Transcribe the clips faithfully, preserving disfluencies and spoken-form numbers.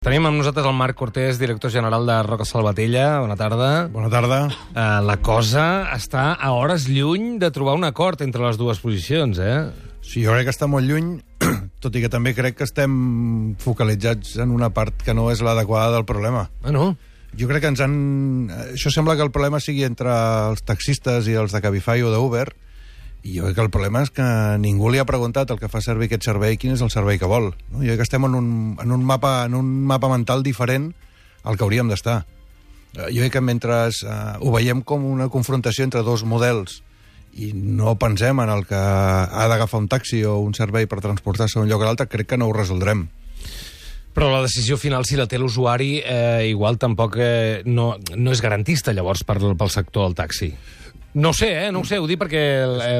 Tenim amb nosaltres el Marc Cortés, director general de Roca Salvatella. Bona tarda. Bona tarda. Uh, la cosa està a hores lluny de trobar un acord entre les dues posicions, eh? Sí, jo crec que està molt lluny, tot i que també crec que estem focalitzats en una part que no és l'adequada del problema. Ah, no? Jo crec que ens han... Això sembla que el problema sigui entre els taxistes i els de Cabify o d'Uber, i jo crec que el problema és que ningú li ha preguntat al que fa servir aquest servei quin és el servei que vol. No? Jo crec que estem en un, en un, mapa, en un mapa mental diferent al que hauríem d'estar. Jo crec que mentre uh, ho veiem com una confrontació entre dos models i no pensem en el que ha d'agafar un taxi o un servei per transportar-se d'un lloc a l'altre, crec que no ho resoldrem. Però la decisió final, si la té l'usuari, eh, igual tampoc eh, no, no és garantista, llavors, per, pel sector del taxi. No ho sé, eh? No ho sé, ho dic perquè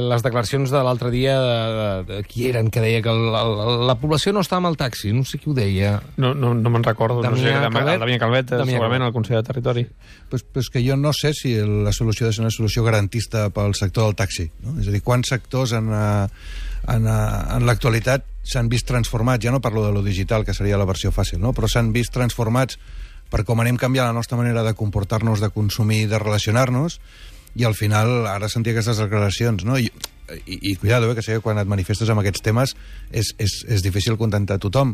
les declaracions de l'altre dia de, de, de qui eren, que deia que la, la, la població no està amb el taxi, no sé qui ho deia. No, no, no me'n recordo, no sé, Calvet, Damià Calvet, Damià segurament Calvet. al Consell de Territori. Pues, pues que jo no sé si la solució ha de ser una solució garantista pel sector del taxi. No? És a dir, quants sectors en, en, en l'actualitat s'han vist transformats, ja no parlo de lo digital, que seria la versió fàcil, no? Però s'han vist transformats per com anem canviant la nostra manera de comportar-nos, de consumir, de relacionar-nos, i al final ara sentir aquestes declaracions, no? I, i, i cuidado, eh, que sé que quan et manifestes amb aquests temes és, és, és difícil contentar tothom,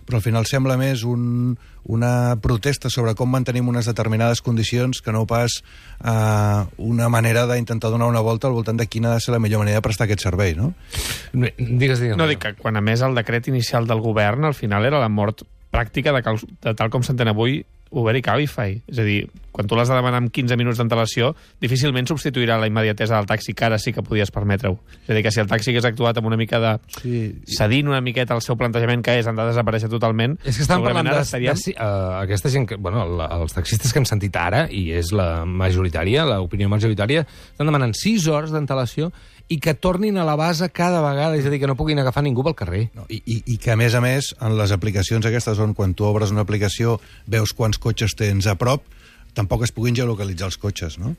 però al final sembla més un, una protesta sobre com mantenim unes determinades condicions que no pas uh, una manera d'intentar donar una volta al voltant de quina ha de ser la millor manera de prestar aquest servei, no? Digues, digues. No, dic que quan a més el decret inicial del govern al final era la mort pràctica de, cal, de tal com s'entén avui Uber i Cabify. És a dir, quan tu l'has de demanar amb quinze minuts d'antelació, difícilment substituirà la immediatesa del taxi, que ara sí que podies permetre-ho. És a dir, que si el taxi hagués actuat amb una mica de... Sí. cedint una miqueta el seu plantejament, que és, han de desaparèixer totalment... És que estan parlant de... estaríem... de uh, aquesta gent que... Bueno, la, els taxistes que hem sentit ara, i és la majoritària, l'opinió majoritària, estan demanant sis hores d'antelació i que tornin a la base cada vegada, és a dir, que no puguin agafar ningú pel carrer. No, i, i, I que, a més a més, en les aplicacions aquestes on quan tu obres una aplicació veus quants cotxes tens a prop, tampoc es puguin geolocalitzar els cotxes, no?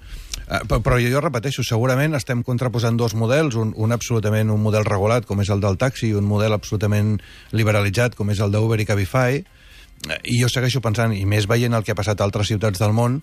Uh, però, però jo repeteixo, segurament estem contraposant dos models, un, un absolutament un model regulat, com és el del taxi, i un model absolutament liberalitzat, com és el d'Uber i Cabify, uh, i jo segueixo pensant, i més veient el que ha passat a altres ciutats del món,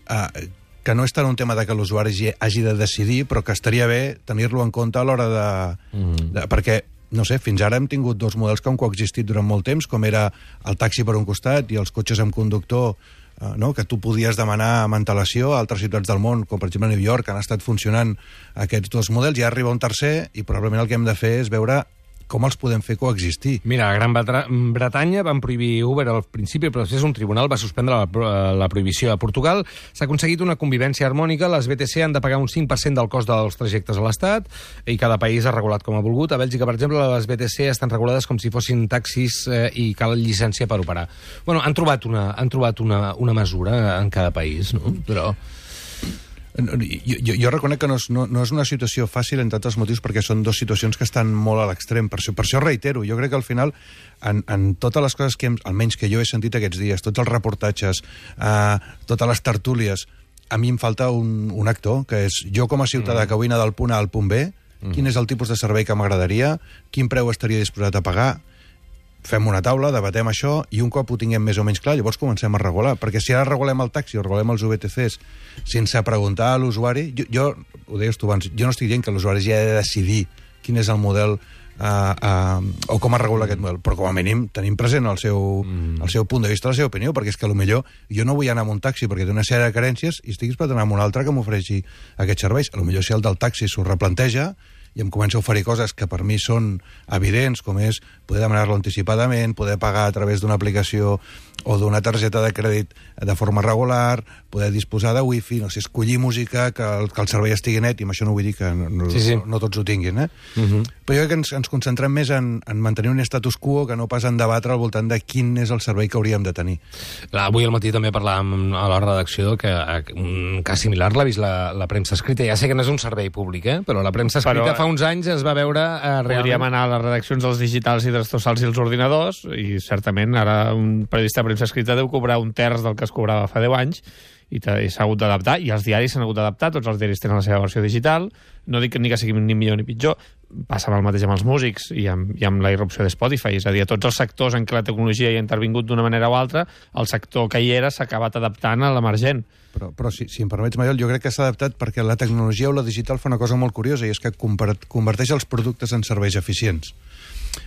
uh, que no és tant un tema de que l'usuari hagi de decidir, però que estaria bé tenir-lo en compte a l'hora de, mm. de... Perquè, no sé, fins ara hem tingut dos models que han coexistit durant molt temps, com era el taxi per un costat i els cotxes amb conductor, eh, no? Que tu podies demanar amb antelació a altres ciutats del món, com per exemple a New York, han estat funcionant aquests dos models, i arriba un tercer, i probablement el que hem de fer és veure com els podem fer coexistir. Mira, a Gran Bretanya van prohibir Uber al principi, però després un tribunal va suspendre la, la prohibició. A Portugal s'ha aconseguit una convivència harmònica, les B T C han de pagar un cinc per cent del cost dels trajectes a l'Estat, i cada país ha regulat com ha volgut. A Bèlgica, per exemple, les B T C estan regulades com si fossin taxis eh, i cal llicència per operar. Bueno, han trobat una, han trobat una, una mesura en cada país, no? Però... Jo, jo, jo reconec que no és, no, no és una situació fàcil, entre altres motius, perquè són dues situacions que estan molt a l'extrem. Per això, per això reitero, jo crec que al final, en, en totes les coses que hem, almenys que jo he sentit aquests dies, tots els reportatges, eh, totes les tertúlies, a mi em falta un, un actor, que és jo com a ciutadà mm. que vull anar del punt A al punt B, mm. quin és el tipus de servei que m'agradaria, quin preu estaria disposat a pagar, fem una taula, debatem això, i un cop ho tinguem més o menys clar, llavors comencem a regular. Perquè si ara regulem el taxi o regulem els V T Cs sense preguntar a l'usuari... Jo, jo, ho deies tu abans, jo no estic dient que l'usuari ja ha de decidir quin és el model uh, uh, o com es regula aquest model, però com a mínim tenim present el seu, mm. el seu punt de vista, la seva opinió, perquè és que potser jo no vull anar amb un taxi perquè té una sèrie de carències i estic disposat a anar amb un altre que m'ofereixi aquests serveis. Potser si el del taxi s'ho replanteja i em comença a oferir coses que per mi són evidents, com és poder demanar-lo anticipadament, poder pagar a través d'una aplicació o d'una targeta de crèdit de forma regular, poder disposar de wifi, no sé, escollir música, que el, que el servei estigui net, i amb això no vull dir que no, sí, sí. no, no tots ho tinguin, eh? Uh -huh. Però jo crec que ens, ens concentrem més en, en mantenir un status quo que no pas en debatre al voltant de quin és el servei que hauríem de tenir. Avui al matí també parlàvem a la redacció que un cas similar l'ha vist la, la premsa escrita. Ja sé que no és un servei públic, eh? Però la premsa escrita però, fa uns anys es va veure... Eh, realment... Podríem anar a les redaccions dels digitals i dels tossals i els ordinadors, i certament ara un periodista de premsa escrita deu cobrar un terç del que es cobrava fa deu anys, i s'ha hagut d'adaptar, i els diaris s'han hagut d'adaptar, tots els diaris tenen la seva versió digital, no dic ni que sigui ni millor ni pitjor, passa el mateix amb els músics i amb, i amb la irrupció de Spotify, és a dir, a tots els sectors en què la tecnologia hi ha intervingut d'una manera o altra, el sector que hi era s'ha acabat adaptant a l'emergent. Però, però si, si em permets, Maiol, jo crec que s'ha adaptat perquè la tecnologia o la digital fa una cosa molt curiosa, i és que converteix els productes en serveis eficients.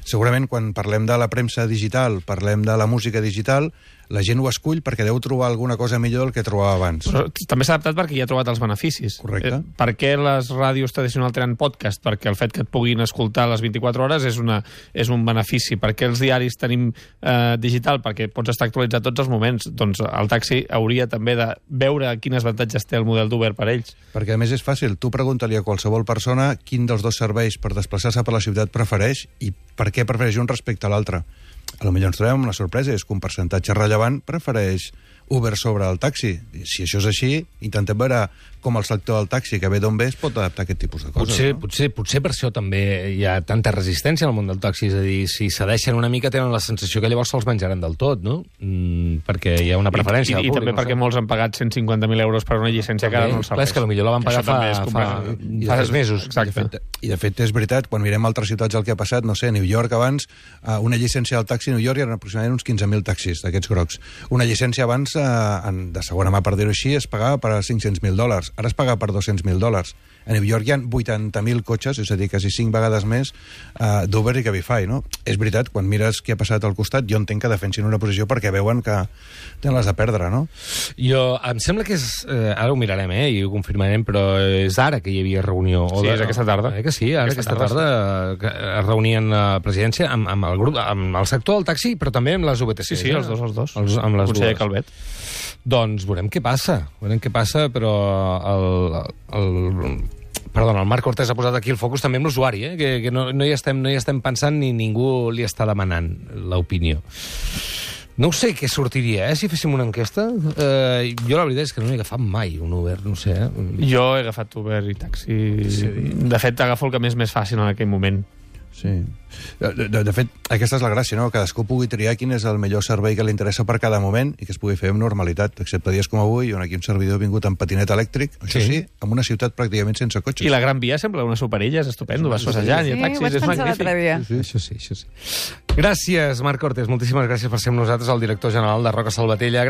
Segurament quan parlem de la premsa digital, parlem de la música digital, la gent ho escull perquè deu trobar alguna cosa millor del que trobava abans. Però també s'ha adaptat perquè hi ha trobat els beneficis. Correcte. Eh, per què les ràdios tradicionals tenen podcast? Perquè el fet que et puguin escoltar a les vint-i-quatre hores és, una, és un benefici. Per què els diaris tenim eh, digital? Perquè pots estar actualitzat tots els moments. Doncs el taxi hauria també de veure quins avantatges té el model d'Uber per ells. Perquè a més és fàcil. Tu pregunta-li a qualsevol persona quin dels dos serveis per desplaçar-se per la ciutat prefereix i per què prefereix un respecte a l'altre. A lo millor ens trobem una sorpresa, és que un percentatge rellevant prefereix Uber sobre el taxi. Si això és així, intentem veure com el sector del taxi, que ve d'on ve, es pot adaptar a aquest tipus de coses. Potser, no? potser, potser per això també hi ha tanta resistència al món del taxi, és a dir, si cedeixen una mica tenen la sensació que llavors se'ls menjaran del tot, no? Mm, perquè hi ha una preferència. I, i, i també no perquè sé. Molts han pagat cent cinquanta mil euros per una llicència que ara no els serveix. Clar, és que potser la van pagar fa, fa, fa tres mesos. Exacte. I de, fet, I de fet és veritat, quan mirem altres ciutats el que ha passat, no sé, New York abans, uh, una llicència del taxi a New York eren aproximadament uns quinze mil taxis d'aquests grocs. Una llicència abans, uh, en, de segona mà per dir-ho així, es pagava per cinc-cents mil dòlars. Ara es paga per dos-cents mil dòlars. A New York hi ha vuitanta mil cotxes, és a dir, quasi cinc vegades més uh, d'Uber i Cabify, no? És veritat, quan mires què ha passat al costat, jo entenc que defensin una posició perquè veuen que tenen les de perdre, no? Jo, em sembla que és... Eh, ara ho mirarem, eh, i ho confirmarem, però és ara que hi havia reunió. O sí, de, és aquesta tarda. Eh, que sí, ara aquesta, aquesta tarda, tarda que es reunien a presidència amb, amb, el grup, amb el sector del taxi, però també amb les U B T C. Sí, sí, els dos, els dos. Els, amb les Conseller dues. Calvet. Doncs veurem què passa, veurem què passa, però el, el, perdona, el Marc Cortés ha posat aquí el focus també amb l'usuari, eh? que, que no, no, hi estem, no hi estem pensant ni ningú li està demanant l'opinió. No ho sé què sortiria, eh, si féssim una enquesta. Eh, jo la veritat és que no he agafat mai un Uber, no sé. Eh? Jo he agafat Uber i taxi. Sí. De fet, agafo el que m'és més fàcil en aquell moment. Sí. De, de, de fet, aquesta és la gràcia, no? Cadascú pugui triar quin és el millor servei que li interessa per cada moment i que es pugui fer amb normalitat, excepte dies com avui, on aquí un servidor ha vingut amb patinet elèctric, això sí, sí en una ciutat pràcticament sense cotxes. I la Gran Via sembla una superilla, és estupendo, vas passejant sí, i a taxis, és magnífic. Sí, sí. Això sí, això sí. Gràcies, Marc Cortés, moltíssimes gràcies per ser amb nosaltres, el director general de Roca Salvatella.